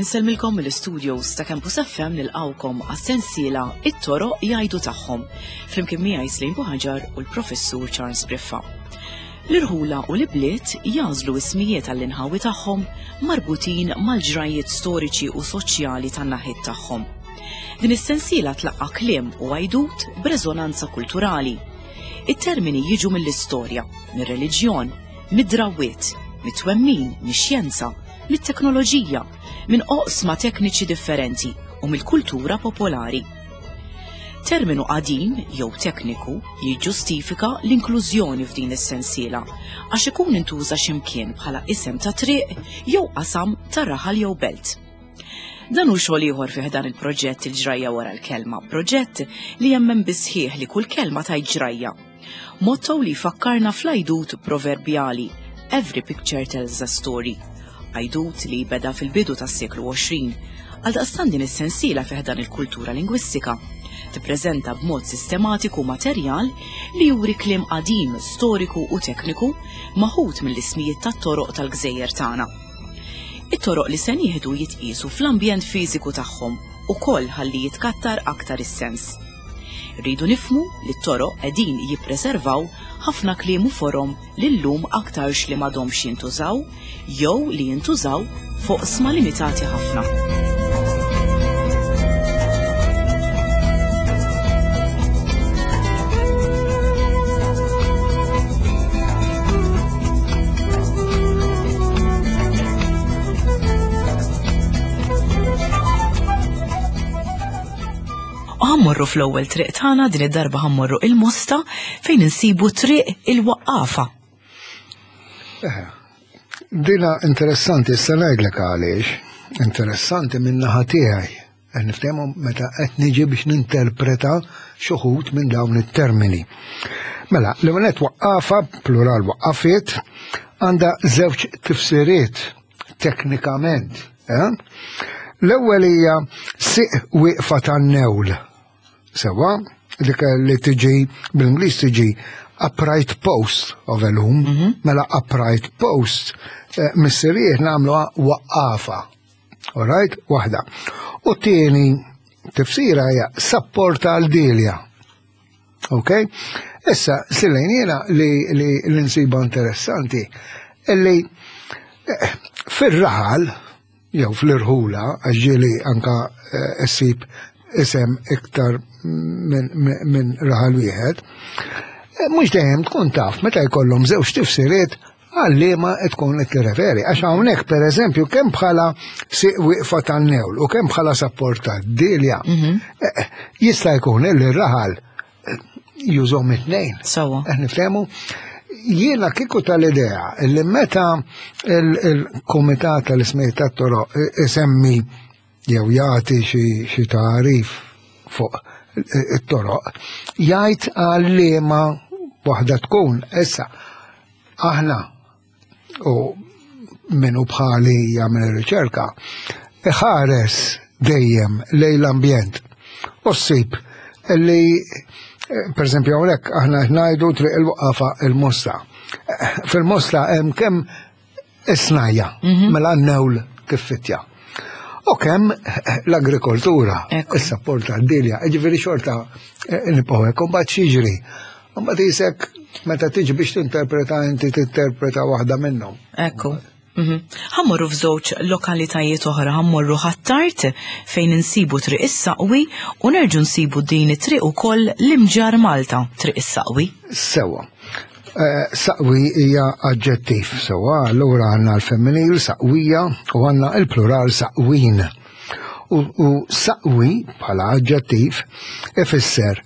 Insellmilkom mill-studios ta' Campus FM nilqawkom għas-sensiela It-toroq jgħidu tagħhom flimkien miegħi Slim Buħaġar u l-Professur Charles Briffa. L-irħula u l-ibliet jagħżlu ismijiet għall-inħawi tagħhom marbutin mal-ġrajjiet storiċi u soċjali tan-naħiet tagħhom. Din is-sensiela tlaqqa' kliem u għajdut b'reżonanza kulturali. It-termini jiġu mill-istorja, mir-reliġjon, mid-drawwiet, mit-twemmin, mix-xjenza, mit-teknoloġija, minn oqsma tekniċi differenti u mill-kultura popolari. Terminu qadim jew tekniku jiġġustifika l-inklużjoni f'din is-sensiela għax ikun intuża x'imkien bħala isem ta' triq jew qasam ta' raħal jew belt. Dan hu xogħol ieħor fih dan il-proġett il-ġrajja wara l-kelma, proġett li jemmen bisħieħ li kull kelma tajt ġrajja. Motto li jfakkarna fl-għajdut proverbjali Every picture tells a story. Għajdut li beda fil-bidu tas-seklu 20. Għaldaqstant din is-sensiela fih dan il-kultura lingwistika tippreżenta b'mod sistematiku materjal li juri kliem qadim, storiku u tekniku maħud mill-ismijiet tat-toroq tal-gżejjer tagħna. It-toroq li se nieħdu jitqiesu fl-ambjent fiżiku tagħhom ukoll ħalli jitkattar aktar is-sens. Irridu nifhmu li t-toroq qegħdin jippreservaw ħafna kliem u forom li llum aktarx li m'għadhomx jintużaw jew li jintużaw f'oqsma limitati ħafna. U ħammorru fl-ewwel triq tagħna din id-darba ħammorru il-Mosta fejn insibu triq il-Waqqafa. Eh, dina interessanti, issa ngħidlek għaliex. Interessanti minn naħa tiegħi. Qed niftehmu meta qed niġi biex ninterpreta xuħut minn dawn it-termini. Mela, l għonet waqqafa, plural waqqafiet, għandha żewġ tifsiriet teknikament. Eh? L-ewwel hija siq wieqfa tan-newl. Sewa, dik li tiġi bil-Ingliż tiġi upright post of a loom, mhm. mela upright post eh, missirijiet nagħmluha waqqafa. All right, waħda. U t-tieni tifsira hija sapporta għal dilja. Ok? Issa, silejn jiena li li l-insiba interessanti, illi eh, fir-raħal, jew fl-irħula, għax ġieli anka eh, ssib isem iktar minn raħal wieħed, eh, mhux dejjem tkun taf meta jkollhom żewġ tifsiriet għal liema tkun qed tirreferi. Għax hawnhekk pereżempju kemm bħala siq wieqfa tan-newl u kemm bħala sapport tad-dilja, mhm. eh, jista' jkun li r-raħal eh, jużhom it-tnejn. Sawa. Qed niftehmu? Jiena kieku tal-idea li meta il-Kumitat tal-Ismijiet tat-Toroq isemmi jew jagħti xi tagħrif fuq it-toroq, jgħid għal liema waħda tkun. Issa, aħna u minnu bħali jagħmel ir-riċerka, iħares dejjem lejn l-ambjent. U ssib li per esempio hawnhekk aħna ngħidu triq il-waqafa il-Mosta. Fil-Mosta hemm kemm is-snajja, mhm. mela n-newl kif fittja. U kemm l-agrikoltura, is-sapport tad-dilja, ġifieri xorta eh, nibqgħu hekk, u mbagħad x'jiġri. Mbagħad isek meta tiġi biex tinterpreta inti tinterpreta waħda minnhom. Ekku. Mhm. Ħammorru f'żewġ lokalitajiet oħra, ħammorru Ħ'Attard fejn insibu Triq is-Saqwi u nerġu nsibu din it-triq ukoll l-Imġarr Malta, Triq is-Saqwi. Sewwa. Eh, saqwi hija aġġettiv, sewwa, allura għandna l-femminil saqwija u għandna l-plural saqwin. U, u saqwi bħala aġġettiv ifisser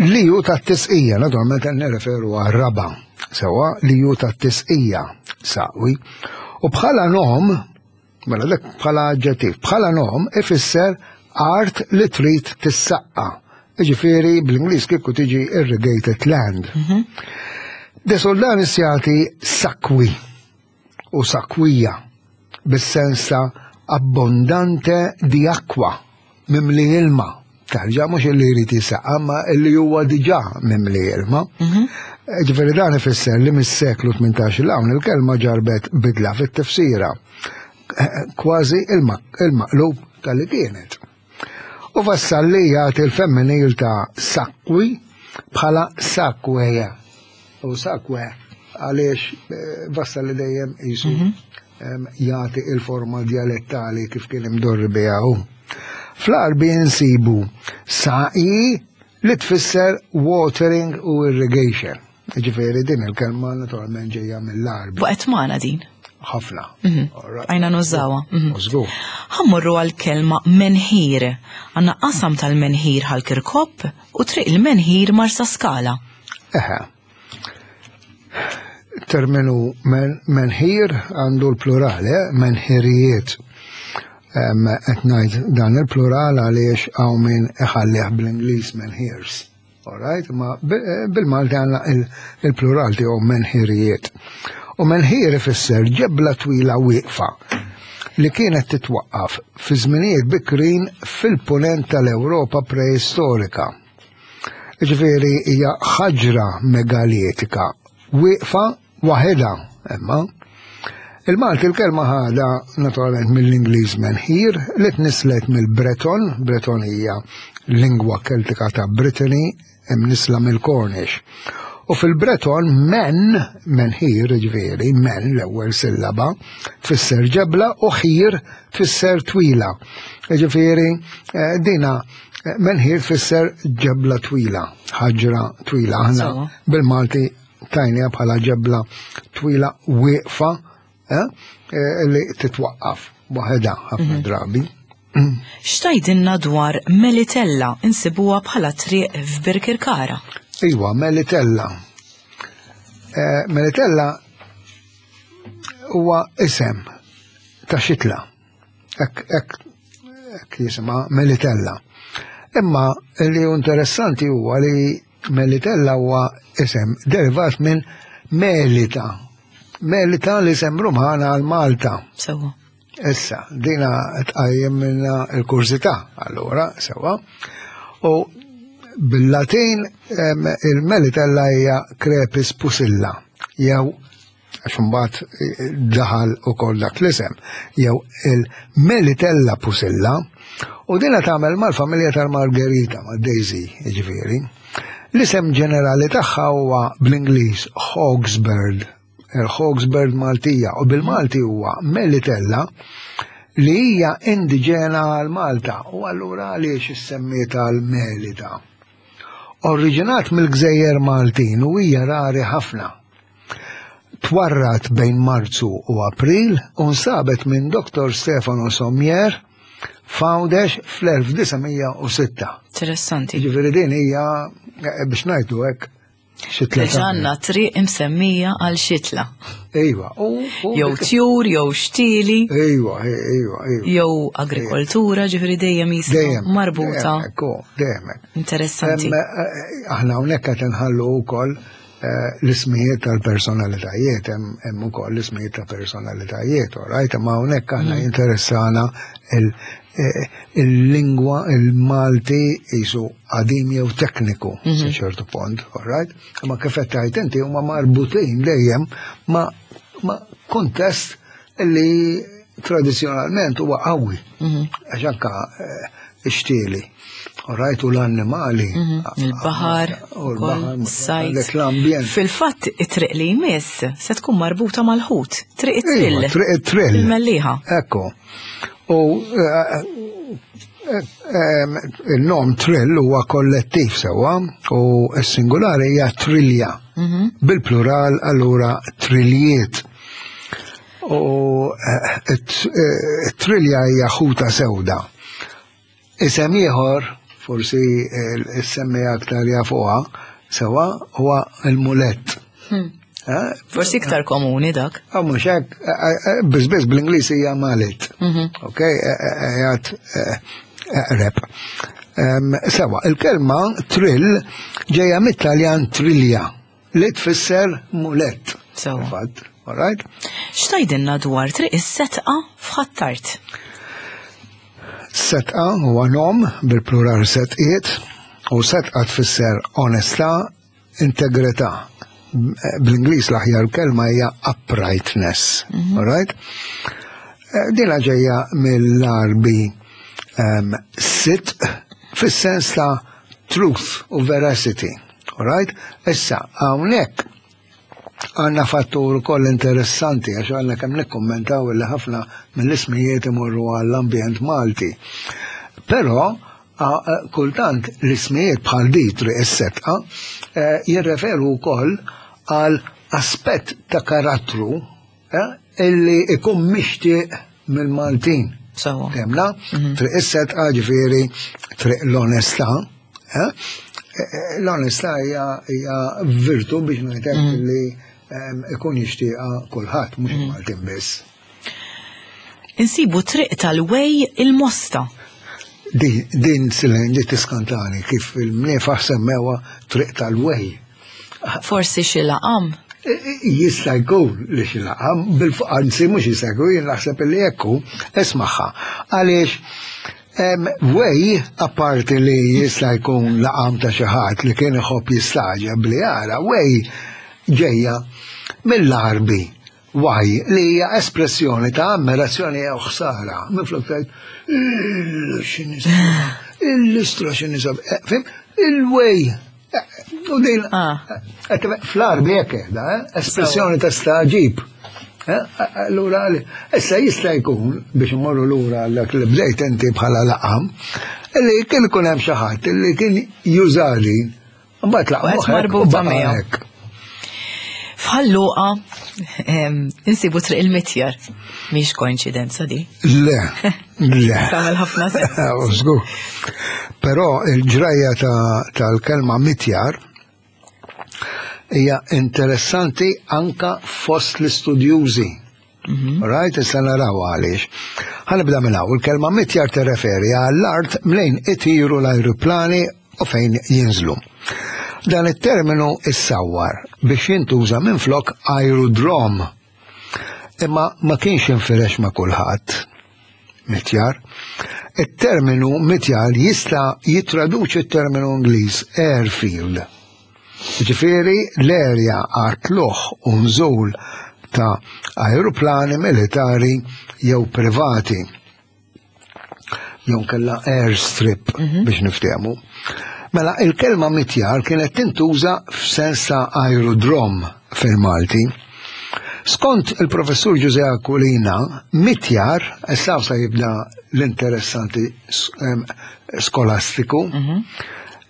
li hu tat-tisqija, naturalment qed nirreferu għar-raba, sewwa li hu tat-tisqija saqwi. U bħala nom Mela dak bħala aġġettiv. Bħala nom ifisser art li trid tissaqqa. Ġifieri bl-Ingliż kieku tiġi irrigated land. Mhm. De Soldanis jagħti sakwi u sakwija bis-sens ta' abbondante di acqua, mimli ilma. It-tarġa mhux illi jrid jisaqqa ma illi huwa diġà mimli ilma. Mhm. Ġifieri dan ifisser li mis-seklu 18 l hawn il-kelma ġarbet bidla fit-tifsira. Kważi il-maqlub tal-li kienet. U Vassalli jagħti l-femminil ta' sakwi bħala sakweja. U sakwe għaliex eh, Vassalli dejjem jisu mhm. jagħti il-forma dialettali kif kien imdorri biha hu. Fl-Arbi nsibu sa'i li tfisser watering u irrigation. Ġifieri din il-kelma naturalment ġejja mill-Arbi. Waqgħet magħna din. Ħafna. Mhm. Għajna nużawha. Mhm. Żgur. Ħammurru għall-kelma menħir. Għandna qasam tal-menħir ħal-Kirkop u triq il-menħir Marsa Skala. Eħe. Terminu menħir għandu l-plural, eh? menħirijiet. Qed ngħid dan il-plural għaliex hawn min iħallih bl-Ingliż menhirs. Alright, ma eh, bil-Malti għandna il-plural tiegħu menħirijiet. U menħir ifisser ġebla twila wieqfa li kienet titwaqqaf fi żminijiet bikrin fil-punent tal-Ewropa preistorika. Ġifieri hija ħaġra megalitika wieqfa waħedha imma. Il-Malti l-kelma ħada naturalment mill-Ingliż menhir li tnislet mill-Breton, Breton hija lingwa Keltika ta' Brittany imnisla mill-Cornish. U fil-Breton men, menhir ġifieri, men l-ewwel sillaba, tfisser ġebla u ħir tfisser twila. Ġifieri eh, dina eh, menhir tfisser ġebla twila, ħaġra twila. Aħna bil-Malti tajnija bħala ġebla twila wieqfa eh, eh, li titwaqqaf waħedha ħafna mhm. drabi. Xtajdinna dwar Melitella insibuha bħala triq f'Birkirkara? Iwa, Melitella. Eh, Melitella huwa isem ta' xitla. Ek, ek, ek jisima Melitella. Imma li interessanti huwa li Melitella huwa isem derivat minn Melita. Melita l-isem Rumana għal Malta. Sewa. Issa, dina tqajjem minna il-kurżità, allura, sewa. U bil-Latin il-Melitella hija crepis pusilla, jew għax imbagħad eh, daħal ukoll dak l-isem, jew il-Melitella Pusilla, u dina tagħmel mal-familja tal-Margherita, ma' Daisy, jiġifieri. L-isem ġenerali tagħha huwa bl-Ingliż Hawksbird, il-Hawksbird Maltija, u bil-Malti huwa Melitella li hija indiġena għal Malta u allura għaliex issemmiet għal Melita. Oriġinat mill-Gżejjer Maltin u hija rari ħafna. Twarrad bejn Marzu u April u nstabet minn Dr. Stefano Sommier f'Għawdex fl-1906. Interessanti. Ġifieri din hija eh, biex ngħidu hekk xitla. Ġanna triq imsemmija għal xitla. Ejwa. Jew tjur, jew xtieli. Ejwa, ejwa, ejwa. Jew agrikoltura, ġifieri dejjem jisma marbuta. Dejjem. Interessanti. Eh, eh, aħna hawnhekk qed inħallu wkoll Eh, l-ismijiet tal-personalitajiet, hemm ukoll l-ismijiet ta' personalitajiet, right? Imma hawnhekk aħna mm. jinteressana eh, il-lingwa il-Malti jisu qadim jew tekniku sa mhm. ċertu punt, right? Imma kif qed tgħid inti huma marbutin dejjem ma' ma' kontest li tradizjonalment huwa qawwi. Mhm. Għax anka eh, ixtieli. Rajtu l-annimali. Mhm. Il-bahar, u l-bahar, sajt. L-ambjent. Fil-fatt, it-triq li jmiss se tkun marbuta mal-ħut. Triq it-trill. Iva, triq it-trill. Il-melliħa. Ekku. U eh, eh, il-nom trill huwa kollettiv sewwa u s-singolari hija trilja. Mhm. Bil-plural allura triljiet. U eh, eh, trilja hija ħuta sewda. Isem ieħor, forsi eh, semmi aktar jafuha, sewa huwa il-mulett. Hmm. Forsi iktar komuni dak. Ah, mhux hekk, biss biss bl-Ingliż hija malit. Mhm. Ok, jgħat eqreb. Sewa, il-kelma trill ġejja mit-Taljan trilja. Li tfisser mulett. Sewa. Fatt, all right? X'tajdilna dwar triq is-setqa f'Ħ'Attard? Setqa huwa nom bil-plural setqiet u setqa tfisser onestà, integrità. Bl-Ingliż l-aħjar kelma hija uprightness. Mm -hmm. Right? Eh, dina ġejja mill-Arbi um, sit fis-sens ta' truth u veracity. Right? Issa, hawnhekk għandna fattur ukoll interessanti għax għandna kemm nikkummentaw li ħafna mill-ismijiet imorru għall-ambjent Malti. Però kultant l-ismijiet bħal di triq is-setqa eh, jirreferu wkoll għal aspett ta' karattru eh, illi ikun mixtieq mill-Maltin. Sawa. Temna, mhm. triq is-setqa ġifieri triq l-onestà. Eh, l-onestà hija virtu biex ngħidlek mhm. li ikun jixtieqha kulħadd mhux mhm. Maltin biss. Insibu triq tal-Wej il-Mosta. Din silen ġiet tiskantani kif il-mniefaħ semmewa triq tal-Wej. Forsi xi laqam? E, e, jista' jkun li xi laqam, anzi mhux jista' jkun, jien naħseb li hekk hu, ismagħha. Għaliex Wej, apparti li jista' jkun laqam ta' xi ħadd li kien iħobb jistaġeb li jara, wej ġejja mill-Għarbi Why, li hija espressjoni ta' ammirazzjoni jew ħsara. Minflok tgħid, il-istra x'inhi eh, fim? Il-way. Eh, u din, ah. eh, fl-arbi hekk qiegħda, espressjoni ta' staġib. Allura, issa jista' jkun biex imorru lura dak li bdejt inti bħala laqam, li kien ikun hemm xi ħadd li kien jużali Mbagħad laqgħu marbuta miegħu. F'Ħalluqa insibu triq il-mitjar. Mhix koinċidenza di. Le, le. Tagħmel ħafna sens. Żgur. Però il-ġrajja tal-kelma mitjar hija interessanti anka fost l-istudjużi. Mhm. Right, issa naraw għaliex. Ħanibda minn hawn, il-kelma mitjar tirreferi għall-art mlejn itiru l-ajruplani u fejn jinżlu. Dan it-terminu issawwar biex jintuża minflok aerodrom. Imma ma kienx infirex ma' kulħadd. Mitjar. It-terminu mitjar jista' jittraduċi t-terminu Ingliż airfield. Jiġifieri l-erja għat-tlugħ u nżul ta' ajruplani militari jew privati. Jew kella airstrip mhm. biex niftehmu. Mela il-kelma mitjar kienet tintuża f'sens ta' aerodrom fil-Malti. Skont il-professur Ġuże Aquilina, mitjar, issa sa jibda l-interessanti skolastiku, mhm.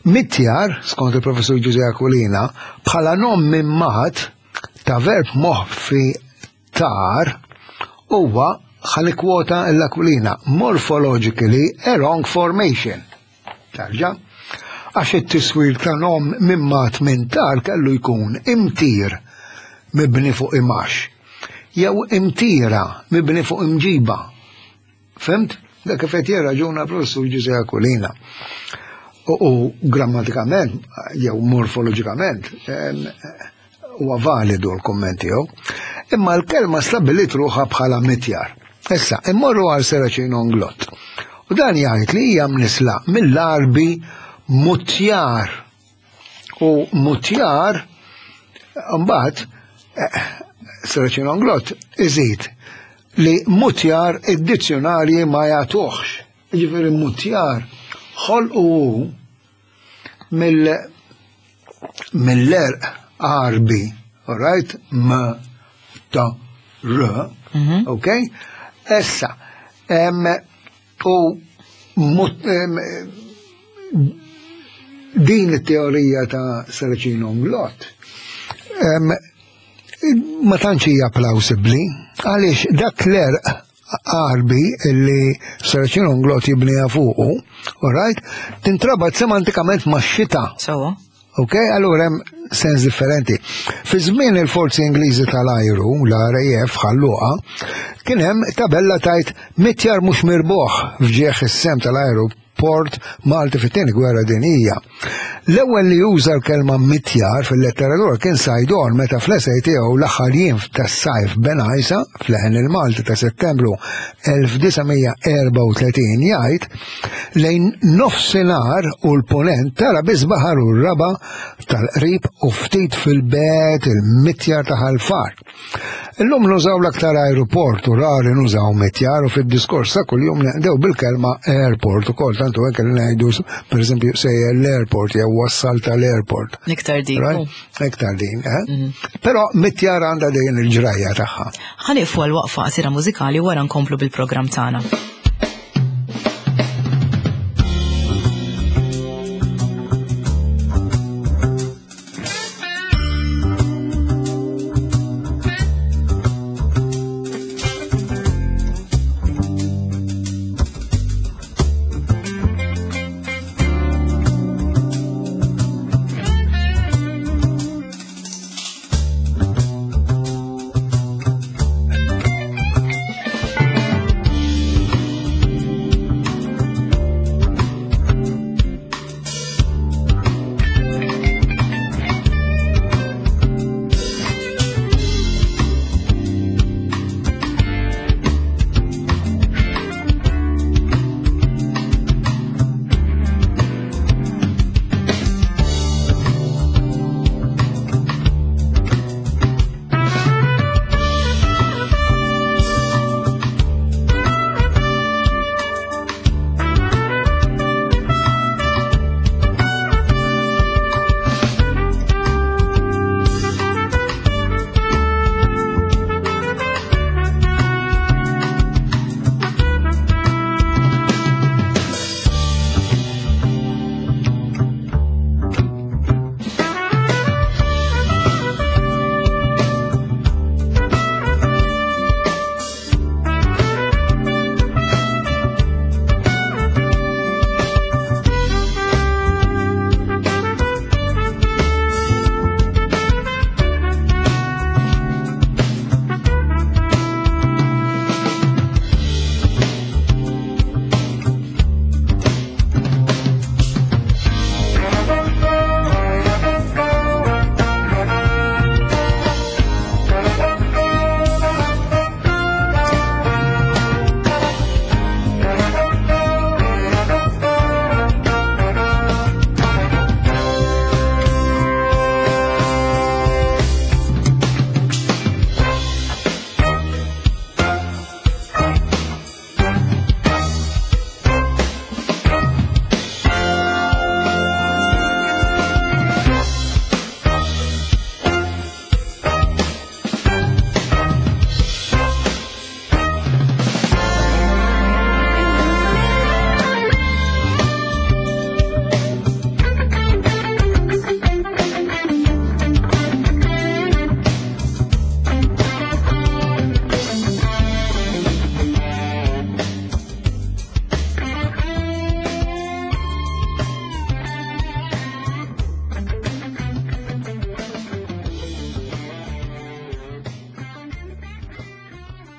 Mitjar, skont il-Professur Ġużè Aquilina, bħala nom mimmat ta' verb moħfi tar huwa ħa nikkwota l-Aquilina, morphologically a wrong formation. Tarġa', għax it-tiswir ta' nom mimmat minn tar kellu jkun imtir mibni fuq imax, jew imtira mibni fuq imġiba. Fimt? Dak kif qed jirraġuna professur Ġużè Aquilina. U grammatikament jew morfoloġikament huwa validu l-kumment tiegħu. Imma l-kelma stabbilit ruħha bħala mitjar. Issa, immorru għal Seracino Nglott. U dan jgħid li hija mnisla mill-Arbi mutjar. U mutjar, mbagħad, eh, Seracino Nglott iżid li mutjar id-dizzjonarji ma jagħtuhx. Jiġifieri mutjar ħolqu hu mill mill-erq Għarbi, all right, m ta r, mhm. ok? Issa, u din it-teorija ta' Saracino Nglott ma tantx hija plawsibbli għaliex dak l-erq Għarbi illi Saracino Nglott jibniha fuqu, all right, tintrabat semantikament ma' xita. Sawa. Ok, allura hemm sens differenti. Fi żmien il-forzi Ingliżi tal-ajru, l-RAF ħalluqa, kien hemm tabella tajt mitjar mhux mirbuħ f'ġieħ is-sem tal-ajru. port Malti fit-tieni gwerra dinjija. L-ewwel li uża l-kelma mitjar fil-letteratura kien Saydon meta fl-esej tiegħu l-aħħar jiem tas-sajf Bengħajsa f'Leħen il-Malti ta' Settembru 1934 jgħid lejn nofsinhar u l-punent tara biss baħar u r-raba tal-qrib u ftit fil-bet il-mitjar ta' Ħal Far. Illum nużaw l-aktar aeroport u rari nużaw mitjar u fid-diskors ta' kuljum neqdew bil-kelma airport ukoll tantu hekk li ngħidu pereżempju sejjer l-airport jew wassal tal-airport. Iktar din. Iktar din, eh? Mhm. Però mitjar għandha dejjem il-ġrajja tagħha. Ħaniqfu għal waqfa qasira mużikali wara nkomplu bil-programm tagħna.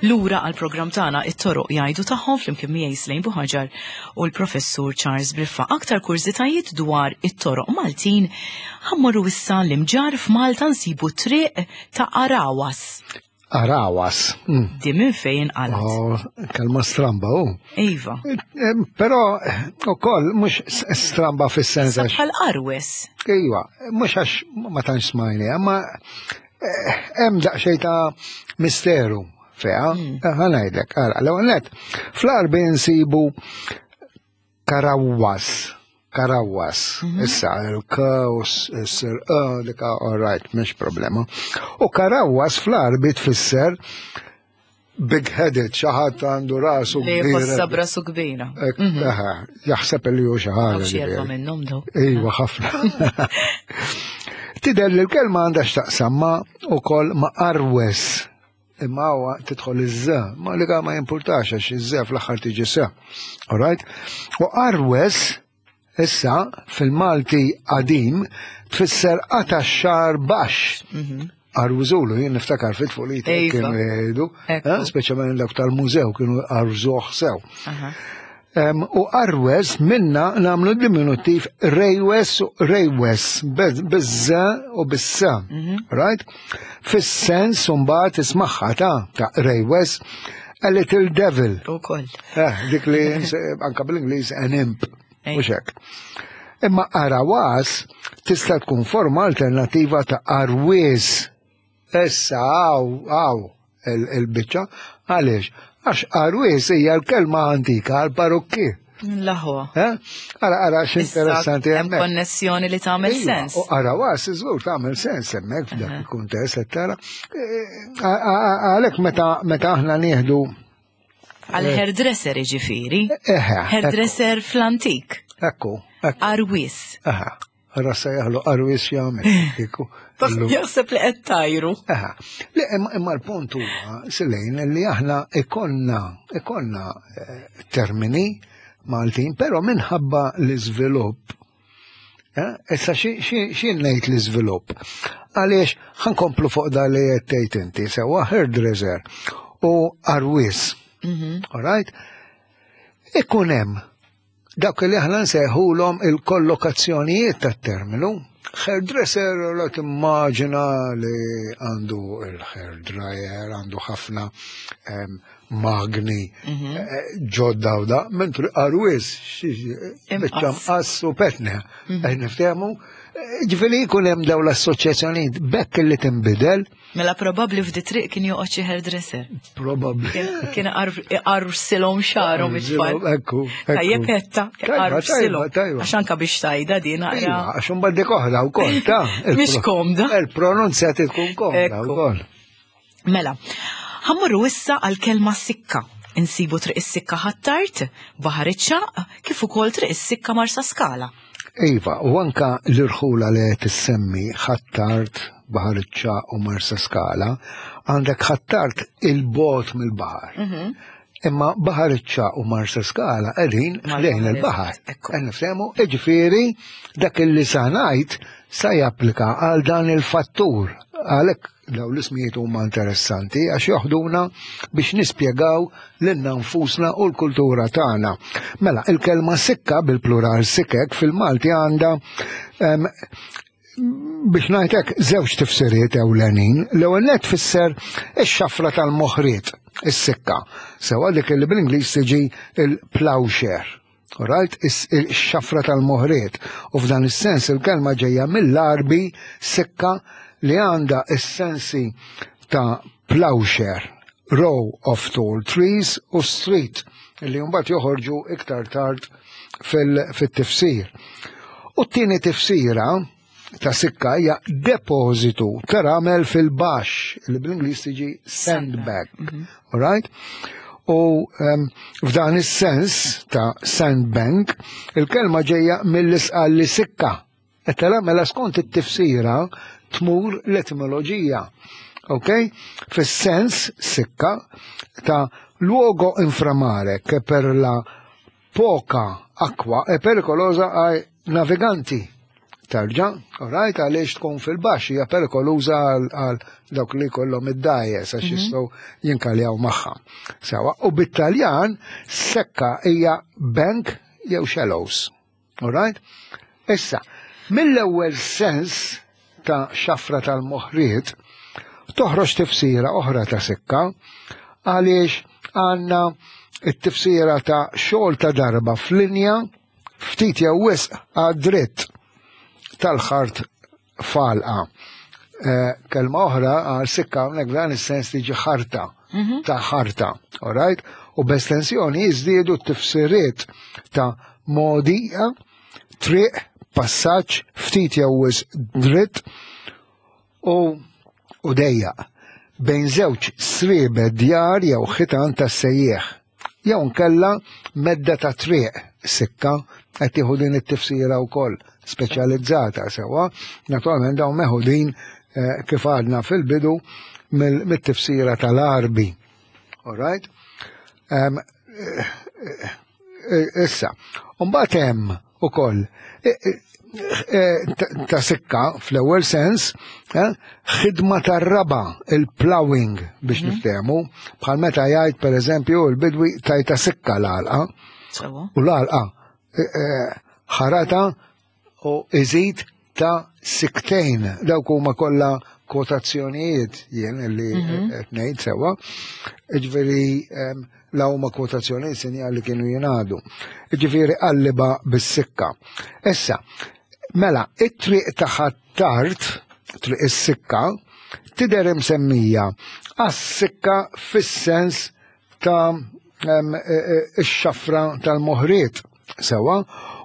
Lura għal programm tagħna it-toroq jgħidu tagħhom flimkien miegħi Slejn Buħaġar u l-Professur Charles Briffa. Aktar kurżitajiet dwar it-toroq Maltin ħammorru issa l-imġar f'Malta nsibu triq ta' Arawas. Arawas. Mm. Di minn fejn inqalat. Oh, kelma stramba, u. Oh. Iva. Eh, eh, però, ukoll, mhux stramba fis-sens għax. Bħal arwes. Iva, mhux għax ma tantx smajni, ma eh, hemm daqsxejn ta' misteru feha, mm. ħanajdlek, ara, l-ewwel net, fl-arbi nsibu Karawwas, Karawwas, mhm. issa il-k u s-sir e, dik all right, mhix problema. U Karawwas fl-Arbi tfisser big-headed, xi ħadd għandu rasu kbira. Li rasu kbira. Mhm. Jaħseb li hu xi ħaġa. minnhom daw. Iva, ħafna. Tidher li l-kelma għandha x'taqsam ma' ukoll ma' arwes Imma huwa tidħol iż-ża, ma li ma jimpurtax għax iż-ża fl-aħħar tiġi sa. Alright? U arwes issa fil-Malti qadim tfisser qata xar baxx. Mhm. Arwżulu, jien niftakar fit-tfulita kienu jgħidu, eh, speċjalment dawk tal-mużew kienu arwżuh sew. U arwes minna namlu diminutiv rejwes u rejwes bizza u bissa. Right? Fis-sens mbagħad ismaħħa ta' ta' rejwes a little devil. Ukoll. Eh, dik li anka bl-Ingliż an imp. Mhux hekk. Imma arawas tista' tkun forma alternativa ta' arwies. Issa għaw, għaw il-biċċa, għaliex? Għax arwies hija l-kelma antika għal parukki. Laħwa. Eh? Ara, ara, x'interessanti Hemm konnessjoni li tagħmel iva, sens. U ara was, żgur tagħmel sens hemmhekk f'dak il-kuntest qed tara. Eh, għalhekk meta meta aħna nieħdu Għal hairdresser iġifieri. Hairdresser fl-antik. Ekku. Arwis. Aha. Rassa jaħlu arwis jagħmel. Kieku. Jaħseb li qed tajru. Aha. Le imma l-punt huwa silejn li aħna ikonna ikonna eh, termini Maltin, però minħabba l-iżvilupp eh, Issa xi ngħid l-iżvilupp? Għaliex ħankomplu fuq da li qed tgħid inti sewwa hairdresser u arwis. Mhm. All right? Ikun hemm Dawk li aħna nsejħulhom il-kollokazzjonijiet tat-terminu. Hairdresser la timmaġina li għandu il-hair dryer, għandu ħafna magni mhm. eh, ġodda u da, mentri arwis, biċċa mqass u petne, mhm. eh, niftehmu. Eh, ġifieri jkun hemm dawn l-assoċjazzjonijiet bekk li tinbidel Mela probabbli f'di triq kien joqgħod xi hairdresser. Probabbli. Kien iqarrsilhom xagħarhom it-tfal. Ekku. Tajjeb etta, iqarrsilhom. Għax anka biex tajda din naqra. Iva, għax imbagħad dik oħra wkoll ta' Mhix komda. Il-pronunzja tkun komda wkoll. Mela, ħammurru issa għal kelma sikka. Insibu triq is-sikka Ħ'Attard, Baħar iċ-Ċagħaq, kif ukoll triq is-sikka Marsaskala. Iva, u anka l-irħula li qed issemmi Ħ'Attard, Baħar iċ-Ċagħaq u Marsaskala, għandek Ħ'Attard il-bogħod mill-baħar. Mhm. Imma Baħar iċ-Ċagħaq u Marsaskala qegħdin ħdejn il-baħar. Qed nifhemu, jiġifieri dak li sa ngħid sa japplika għal dan il-fattur. Għalhekk Dawn l-ismijiet huma interessanti għax joħduna biex nispjegaw lilna nfusna u l-kultura tagħna. Mela, il-kelma sikka bil-plural sikek fil-Malti għandha biex ngħidlek żewġ tifsiriet ewlenin. L-ewwel net tfisser ix-xafra tal-moħriet, is-sikka. Sewa dik li bl-Ingliż tiġi il-plowshare. Right? Ix-xafra tal-moħriet. U f'dan is-sens il-kelma ġejja mill-Għarbi sikka li għandha s-sensi ta' plowshare, row of tall trees u street li mbagħad joħorġu iktar tard fil-tifsir. U t-tieni tifsira ta' sikka hija depożitu ta' ramel fil-baxx li bl-Ingliż tiġi sandbag. Mhm. All right? U um, f'dan is-sens ta' sandbank, il-kelma ġejja mill-isqalli sikka. Qed tara mela skont it-tifsira tmur l-etimoloġija. Ok? Fis-sens sikka ta' luogo inframare che per la poca acqua è pericolosa ai naviganti. Tarġa, right, għaliex tkun fil-baxx hija perikoluża għal dawk li kollhom id-dajjes għax mhm. jistgħu jinkaljaw magħha. Sewa, u bit-Taljan sekka hija bank jew shallows. All right? Issa, mill-ewwel sens ta' xafra tal-moħriet toħroġ tifsira oħra ta' sikka għaliex għandna it-tifsira ta' xogħol ta' darba f'linja ftit jew wisq għad-dritt tal-ħart falqa. Eh, kelma oħra għal sikka hawnhekk f'dan is-sens tiġi ħarta mhm. ta' ħarta, all right? U b'estensjoni jiżdiedu t-tifsiriet ta' mogħdija, triq, passaġġ, ftit jew wisq dritt u u dejjaq bejn żewġ sriebe djar jew ħitan tas-sejjieħ. Jew nkella medda ta' triq sikka qed tieħu din it-tifsira wkoll speċjalizzata sewwa. Naturalment dawn meħudin eh, kif għadna fil-bidu mit-tifsira tal-Arbi. All right? Um, issa, mbagħad hemm ukoll ta' sikka fl-ewwel sens, ħidma tar-raba, il-plowing biex mhm. niftehmu, bħal meta jgħid pereżempju l-bidwi tajta sikka l-għalqa. Sewa. U l-għalqa eh, eh, ħarata u iżid ta' siktejn. Dawk huma kollha kwotazzjonijiet jien li mhm. qed ngħid sewwa. Ġifieri la huma kwotazzjonijiet sinjal li kienu jingħadu. Ġifieri qalliba bis-sikka. Issa, mela, it-triq ta' Ħ'Attard, triq is-sikka, tidher imsemmija għas-sikka fis-sens ta' e, e, ix-xafra tal-moħriet sewa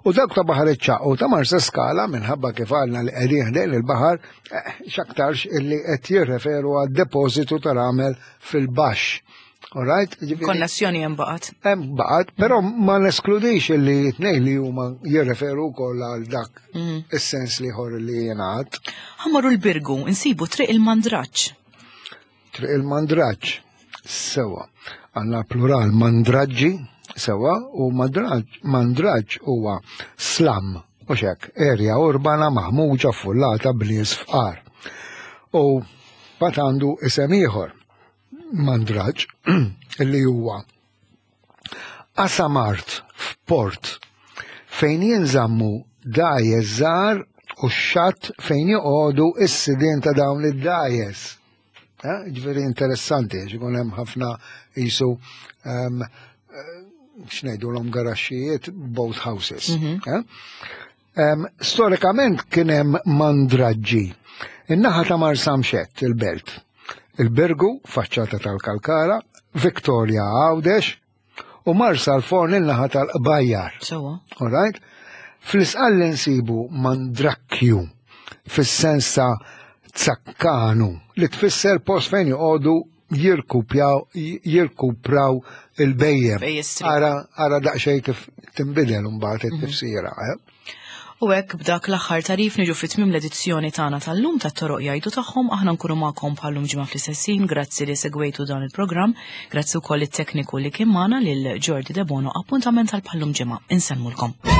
u dawk ta' Baħar iċ-Ċagħaq u ta' Marsa Skala minħabba kif għalna li qegħdin ħdejn il-baħar eh, x'aktarx illi qed jirreferu għad depożitu ta' ramel fil-baxx. All right? Konnessjoni hemm baqgħet. Hemm baqgħet, però ma neskludix illi tnejn li huma jirreferu wkoll għal dak mm. is-sens liħor li jingħad. Ħammaru l-Birgu, insibu triq il-Mandraġġ. Triq il-Mandraġġ, sewa. Għandna plural mandraġġi, sewa, u mandraġġ huwa slam, u xek, erja urbana maħmuġa fullata b'nies fqar. U bat għandu isem ieħor, mandraġġ, illi huwa qasam art f'port fejn jinżammu dgħajjes żgħar u x-xatt fejn joqogħdu s-sidien ta' dawn id-dgħajjes. Eh, ġifieri interessanti, għax ikun hemm ħafna qisu ehm, eh, x'ngħidulhom garaxxijiet boat houses. Mhm. Eh? Ehm, storikament kien hemm mandraġġi. In-naħa ta' Marsamxett, il-belt. Il-Birgu, faċċata tal-Kalkara, Victoria Għawdex, u Marsalforn in-naħa tal-Qbajjar. Sewa. All right? Fl-isqalli nsibu mandrakkju fis-sens ta' zakkanu li tfisser post fejn joqogħdu jirkupjaw jirkupraw il-bejjem. Ara ara daqsxejn kif tinbidel imbagħad mhm. it-tifsira. Eh? U hekk b'dak l-aħħar tarif niġu fi tmiem l-edizzjoni tagħna tal-lum tat-Toroq Jgħidu Tagħhom, aħna nkunu magħkom bħal-lum ġimgħa fl-istess ħin, grazzi li segwejtu dan il-programm, grazzi wkoll it-tekniku li kien magħna lil Jordi Debono, appuntament għal bħal-lum ġimgħa. Insellmulkom.